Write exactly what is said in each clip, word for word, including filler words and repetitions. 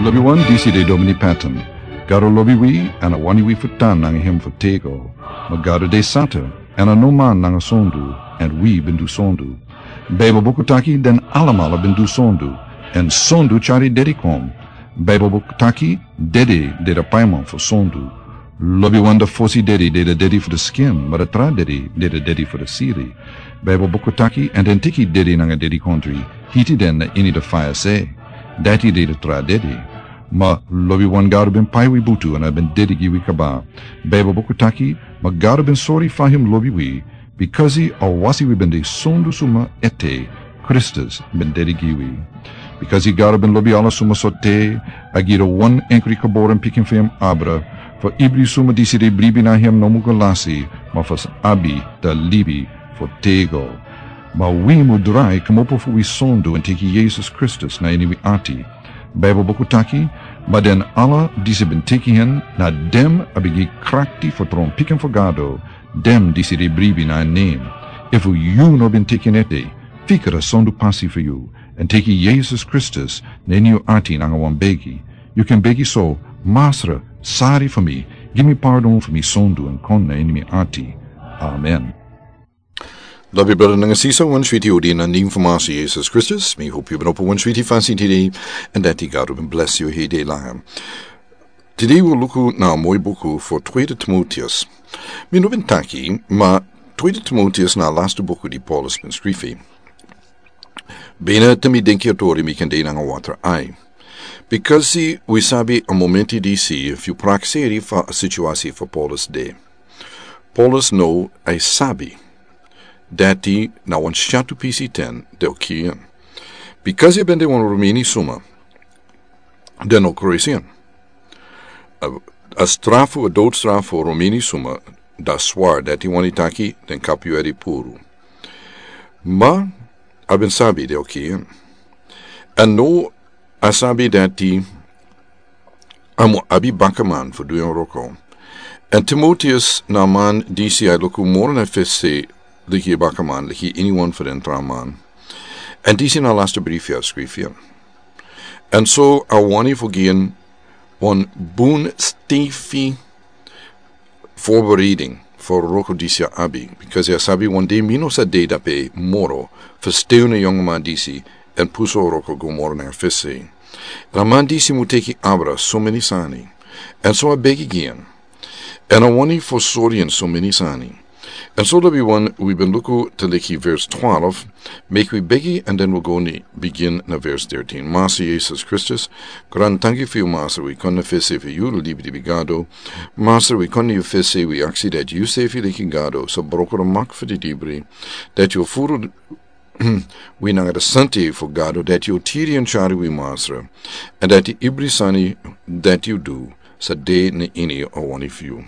Lobi wan, disi de Domini Patton. Gado lobi wi, èn a wani wi fu tan nanga hem fu tego. Ma Gado de santa, èn a no man nanga sondu, èn wi ben du sondu. Baibel buku taki den alamala ben du sondu, èn sondu tyari dedi kon. Baibel buku taki dede de de paiman fu sondu. Lobi wan, da fosi dedi de de dedi fu de skin, ma da tra dedi de de dedi fu de siri. Baibel buku taki, èn den teki dedi nanga dedikondri, hiti den na ini de faya se. Dati de de tra dedi. Ma lobi wan, Gado ben pai wi butu èn a ben dedi gi wi kaba. Baibel buku taki, ma Gado ben sori fa hem lobi wi, bikasi a wasi wi ben de sondu suma ete, Kristus ben dedi gi wi. Bikasi Gado ben lobi ala suma so te, a gi de wan enkri geboren pikin fu hem abra, fu ibri suma disi de bribi na hem no mu go lasi, ma fu sa abi de libi fu tego. Ma wi mu drai kmopo fu wi sondu èn teki Yesus Kristus na ini wi ati. Baibel buku taki, ma den ala disi ben teki hen, na den a ben gi krakti fu tron pikin fu Gado, den disi de bribi na en nen. Efu yu no ben teki en ete, fika a sondu pasi fu yu, èn teki Yesus Kristus na ini yu ati nanga wan begi. Yu kan begi so: Masra, sari fu mi, gi mi pardon fu mi sondu èn kon na ini mi ati. Amen. Lobi brada nanga sisa, wan switi odi na nen fu Masra Yesus Kristus. Mi hopi yu ben opo wan switi fasi tide, èn dati Gado ben blesi yu hede langa. Tide wi o luku na a moi buku fu Tweede Timoteus. Mi no ben taki, ma Tweede Timoteus na a lastu buku di Paulus ben skrifi. Bina te mi denki a tori mi kan de nanga watra ai. Bikasi wi sabi a momenti disi, efu yu prakseri fa a situasi fu Paulus de. Paulus no a sabi dati na wan syatu pisi ten den o kiri en. Bikasi a ben de wan Romeni suma, den o kruisi en. A, a strafu, a doutstrafu fu Romeni suma, da swar, dati wani taki den kapu yu ede puru. Ma a ben sabi den o kiri en. Èn now a sabi dati a mu abi bakaman fu du en wroko. Èn Timoteus na a man disi a luku moro na fesi leki bakaman, leki iniwan fu den tra man. Èn disi na a lastu brifi a skrifi en. Èn so a wani fu gi en wan bun stefi voorbereiding fu a wroko disi a abi, bikasi a sabi wan dei mi no sa de drape moro fu stei na yongu man disi èn pusu a wroko go moro na fesi. Èn a man disi mu teki abra someni sani. Èn so a begi gi en. Èn a wani fu sori en someni sani. Èn so lobi wan, wi ben luku te leki vers twaalf, meki wi begi, èn den wi go ni bigin na vers dertien. Masra Yesus Kristus, grantangi fu yu Masra, wi kon na fesi fu yu, libri di Gado. Masra, wi kon na yu fesi, wi aksi dati yu sefi leki Gado sa broko a mak fu di libri, dati yu furu wi nanga a santa yeye fu Gado, dati yu tiri èn tyari wi Masra, èn dati ibri sani dati yu du sa de na ini a wani fu yu.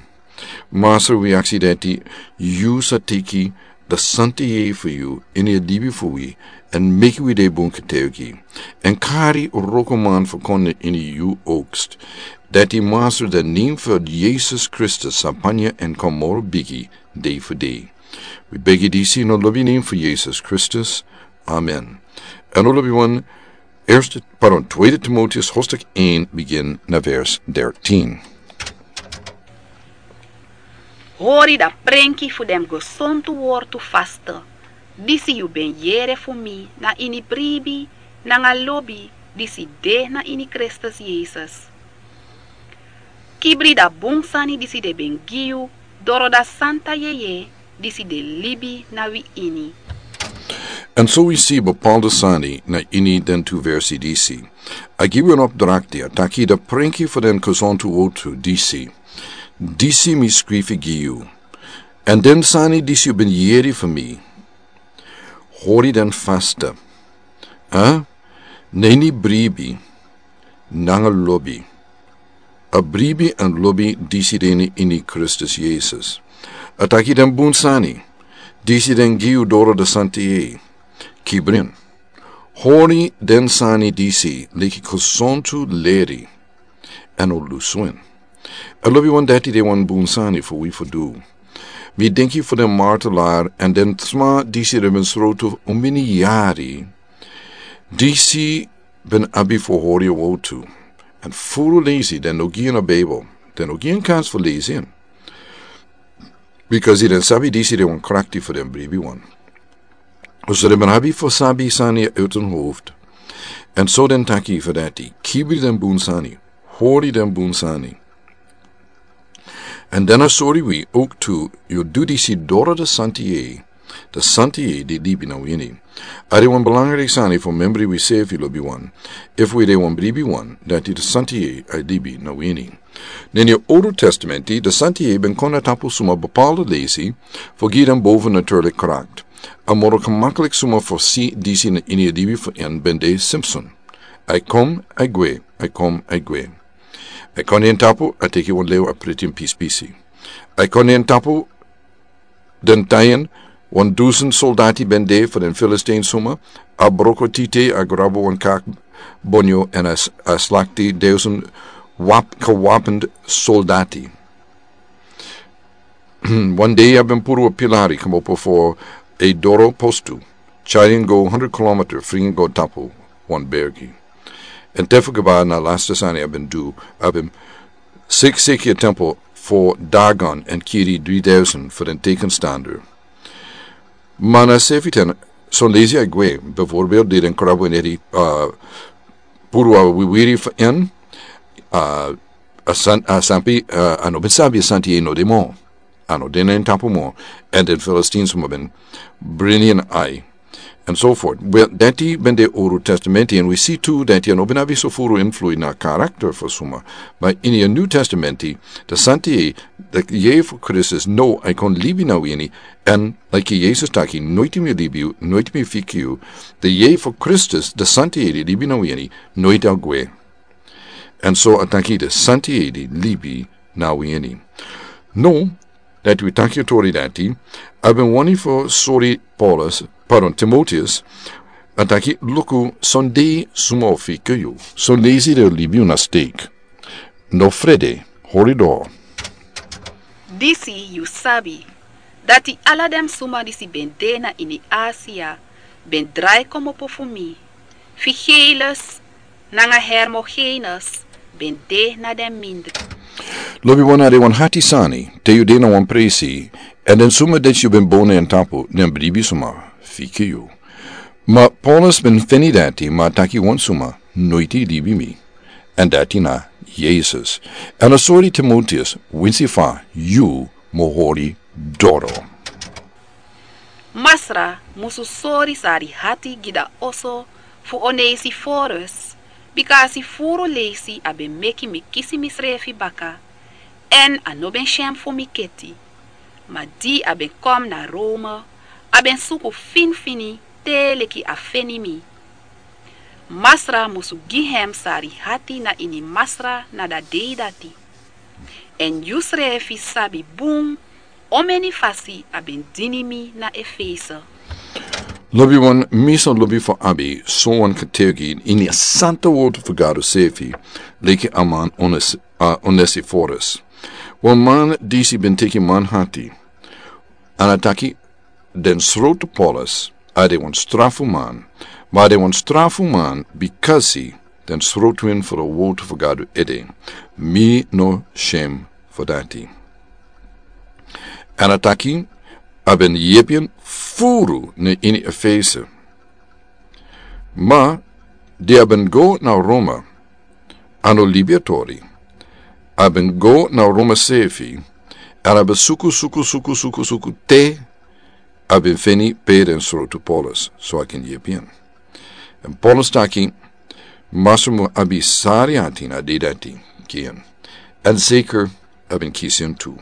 Masra, wi aksi dati yu sa teki a santa yeye fu yu ini a libi fu wi, èn meki wi de bun getuigi, èn kari a wroko man fu kon na ini yu oogst. Dati Masra, a nen fu Yesus Kristus sa panya èn kon moro bigi dei fu dei. Wi begi disi na a lobi nen fu Yesus Kristus. Amen. Èn a lobi wan, Eerste, pardon, Tweede Timoteus hoofdstuk één, begin na vers dertien. Hori a prenki fu den gesontu wortu faste, disi yu ben yere fu mi na ini bribi nanga lobi disi de na ini Kristus Yesus. Kibri a bun sani disi den ben gi yu doro a santa yeye disi de libi na wi ini. Èn so wi si bepaalde sani na ini den tu versi disi. A gi wi en opdrakti, a taki a prenki fu den gesontu wortu disi, disi mi skrifi gi yu. Èn den sani disi yu ben yere fu mi, hori den faste. Hè? Na ini bribi nanga lobi. A bribi èn lobi disi de na ini Kristus Yesus. A taki den bun sani disi den gi yu doro a santa yeye. Kibri en. Hori den sani disi leki gesontu leri, èn un o lusu en. A lobi wan, dati de wan bun sani fu wi fu du. Mi denki fu den martelaar èn den sma disi ben srotu omeni yari, disi ben abi fu hori a wortu. Èn furu leisi den no gi en a Bijbel. Den no gi en kans fu leisi en. Bikasi den sabi disi de wan krakti fu den bribi wan. So den ben abi fu sabi sani uit hun hoofd. Èn so den taki fu dati, kibri den bun sani, hori den bun sani. Èn den a sori wi ook tu, yu du disi doro de Santi Yeye, de Santi Yeye di libi na wini. A de wan belangrijk sani fu membri wi sefi lobi wan. Efu wi de wan bribi wan, dati de Santi Yeye a libi na wini. Neni a Old Testamenti, de Santi Yeye ben kon na tapu suma bepaalde leisi, fu gi den boven natuurlijk kracht. A moro gemakkelijk suma fu si disi na ini a libi fu en ben de Simpson. A e kon, a e gwe, a e kon, a e gwe. A e kon na en tapu, a teki wan lew a priti en pisi pisi. A e kon na en tapu, den tayen, wan dusen soldati ben de fu den Filistin suma, a broko tite, a grabo wan kak bonyo, èn a s-, a slakti dusen wap-, gewapend soldati. Wan dei a ben puru a pilari, komopo fu a doro postu, tyari en go hundred kilometer, fringi go tapu, wan bergi. Èn te fu kaba na laste sani a ben du, a ben sik-, siki a tempo fu Dagon èn kiri dri dusen fu den tekenstander. Ma na sefi ten, son leisi a gwe, bijvoorbeeld di den krabo en edi, uh, puru a wiwiri fu en, uh, a san-, a sampi, uh, a no ben sabi a Santi Yeye no de mo. A no de na en tapu mo, èn den Filistin suma ben brini en ai, and so forth. Wel, dati ben de Old Testamenti, èn wi si tu dati a no ben abi so furu influi na karakter fu suma. Ma ini a New Testamenti, de Santi Yeye, de Yeye fu Kristus, no, a e kon libi na wini, èn, like Yesus taki, noiti mi libi yu, noiti mi fiki yu, de Yeye fu Kristus, de Santi Yeye di libi na wini, noiti a gwe. Èn so a taki de Santi Yeye di libi na wini. No, dati wi taki a tori dati, a ben wani fu sori Paulus, pardon, Timoteus, a taki luku son dei suma o fika yu, son leisi den o libi yu na steek. No frede, hori doro. Disi yu sabi, dati ala den suma disi ben de na ini Asia, ben drai komopo fu mi. Figelus, nanga Hermogenes, ben de na den mindri. Lobi wan, a de wan hati sani, te yu de na wan presi, èn den suma dati yu ben bow na en tapu, den bribi suma, fiki yu. Ma Paulus ben feni dati, ma a taki wan suma, noiti libi mi. Èn dati na Yesus. Èn a sori Timoteus, winsi fa, yu, mu hori doro. Masra musu sori sari hati gi da oso fu Onesiforus, bika a si furu leisi a ben meki mi kisi misrefi baka, èn a no ben si en fu mi keti. Ma di a ben kon na Rome, a ben suku finfini te leki a feni mi. Masra musu gi hem sari hati na ini Masra na da dei dati. Èn yusrefi sabi bun omeni fasi a ben dini mi na Efese. Lobi wan, mi sa lobi fu abi so wan kategi ini a santa wortu fu Gado sefi, leki a man Ones-, a Onesiforus. Wan man disi ben teki man hati. Èn a taki den srotu Paulus, a de wan strafu man, ma a de wan strafu man bikasi den srotu en fu da wortu fu Gado ede. Mi no sem fu dati. Èn a taki, a ben yepi en furu na ini Efese. Ma, di a ben go na Roma, a no libi a tori. A ben go na Roma sefi, èn a ben suku, suku, suku, suku, suku, te a ben feni pe den srotu Paulus, so a kan yepi en. Èn Paulus taki, Masra mu abi sari hati na dei dati gi en. Èn zeker a ben kisi en tu.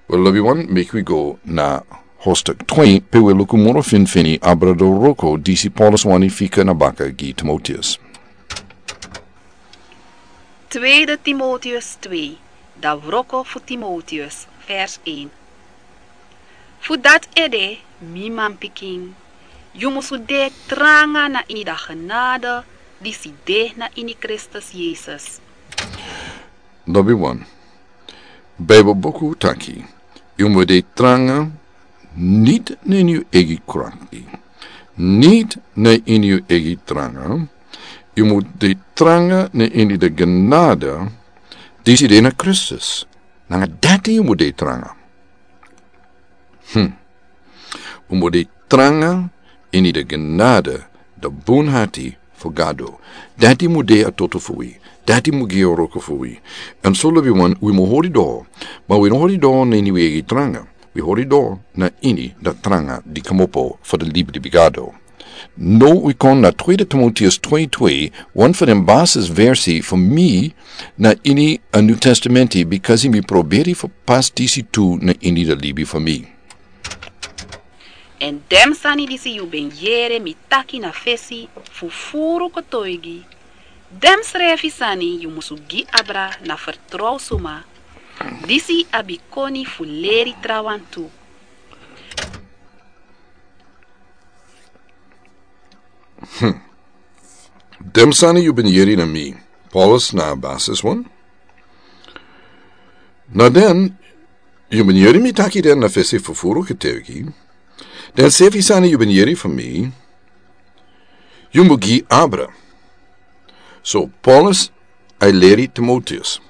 Wel, lobi wan, meki wi go na hoofdstuk twee, pe wi luku moro finfini abra da wroko disi Paulus wani fika na baka gi Timoteus. Tweede Timoteus twee, da wroko fu Timoteus, vers een. Fu dati ede, mi manpikin, yu musu de tranga na ini da genade disi de na ini Kristus Yesus. Lobi wan. Bijbel buku taki, yu mu de tranga, niti na ini yu eigi krakti, niti na ini yu eigi tranga, Yu mu de tranga na ini de genade disi de na Kristus. Nanga dati yu mu de tranga. Hmm. Un mu de tranga ini de genade, de bunhati fu Gado. Dati mu de a toto fu wi. Dati mu gi a roko fu wi. Èn so lobi wan, wi mu hori do. Ma wi no hori do na ini wi egi tranga. Wi hori do na ini de tranga di komopo fu de libi di Gado. No wi kon na tweede Timoteus twee twee, wan fu den basis versi fu mi na ini a New Testamenti, bikasi mi proberi fu pas disi tu na ini de libi fu mi. Èn den sani disi yu ben yere mi taki na fesi fu furu kotoigi, den srefi sani yu musu gi abra na fertrow suma, disi abi koni fu leri trawan tu. Hmm. Den sani yu ben yere na mi, Paulus na a basis wan. Na den, yu ben yere mi taki den na fesi fu furu kotoigi. Den srefi sani yu ben yere fu mi, yu mu gi abra. So, Paulus a e leri Timoteus.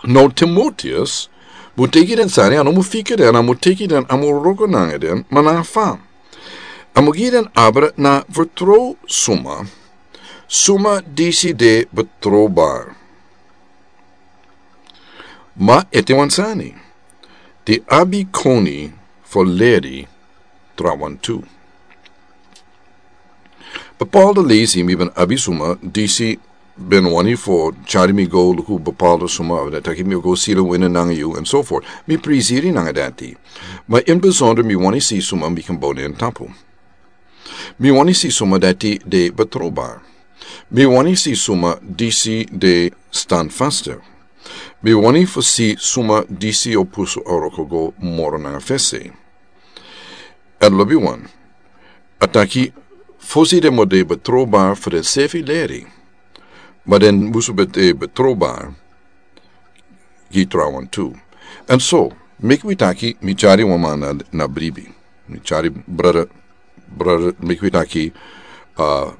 No, Timoteus mu teki den sani, a no mu fika den, a mu teki den, a mu wroko nanga den, ma na fa. A mu gi den abra na fertrow suma, suma disi de betrowbar. Ma ete wan sani, di abi koni fu leri trawan tu. Bepaalde leisi mi ben abi suma disi ben wani fu tyari mi go luku bepaalde suma, of den taki mi o go sila wini nanga yu, en so voort. Mi prisiri nanga dati. Ma in bijzonder mi wani si suma mi kan bouw na en tapu. Mi wani si suma dati de betrowbar. Mi wani si suma disi de standvastig. Mi wani fu si suma disi o pusu a wroko go moro nanga fesi. Èn lobi wan, a taki fosi den mu de betrowbar fu den srefi leri, ma den musu ben de betrowbar gi trawan tu. Èn so, meki wi taki, mi tyari wan man na, na bribi. Mi tyari brother, brother, meki wi taki, uh,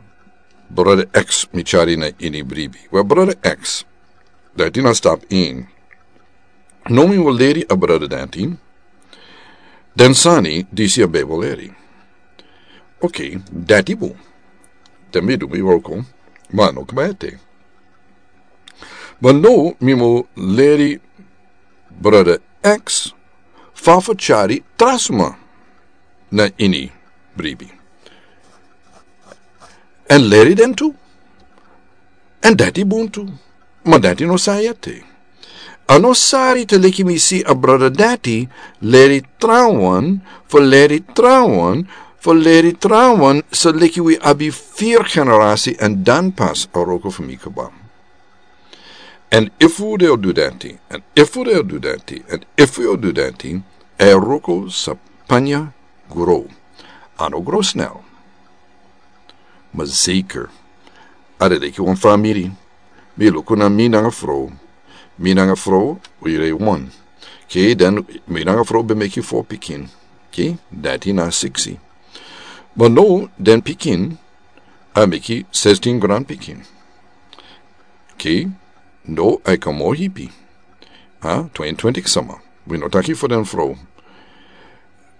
brother X, mi tyari na ini bribi. Wel, brother X, dati na stap in. No mi wil leri a brother dati den sani disi a ben wil leri. Ok, dati bun. Dan mi du mi wroko, ma no kaba ete. Ma no mi mu leri brother X fa fu tyari tra suma na ini bribi. Èn leri den tu. Èn dati bun tu. Ma dati no sani ete. A no sari te leki mi si a brother dati leri trawan, fu leri trawan, fu leri trawan, so leki wi abi vier generasi èn dan pas a wroko fu mi kaba. Èn efu den o du dati, èn efu den o du dati, èn efu den o du dati, a wroko sa panya grow. A no grow snel. Ma zeker. A de leki wan famiri. Mi luku na mi nanga frow. Mi nanga frow, wi de wan. Oké, dan mi nanga frow ben meki fo pikin. Oké, dati na siksi. Ma no, den pikin, a meki sestin granpikin. Oké, no, a e kon moro hipi. Ha, tweeëntwintig sama. Wi no taki fu den frow.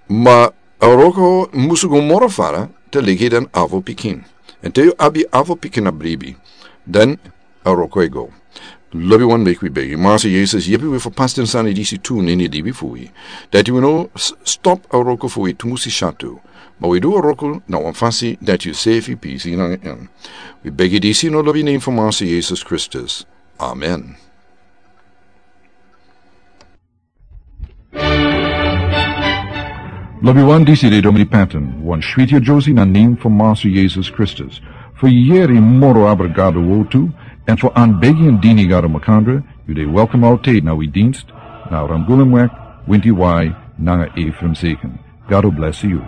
Ma a wroko musu go moro fara te leki den afo pikin. Èn te yu abi afo pikin na bribi, dan a wroko e go. Lobi wan, meki wi begi. Master Jesus, yepi wi fu pas den sani disi tu na ini libi fu wi. Dati wi no s-, stop a wroko fu wi tumusi syatu. Ma wi du a wroko na wan fasi dati yu sefi pisi nanga en. Wi begi disi na lobi nen fu Master Jesus Kristus. Amen. Lobi wan, disi de Domini Patton, wan switi a Josie na nen fu Master Jesus Kristus. Fu yeri moro abra Gado wortu, èn fu anbegi èn dini Gado makandra, yu de welkom altijd na wi dienst, na Ramgulemweg, winti wai, nanga Ephraim Zeken. Gado bless yu.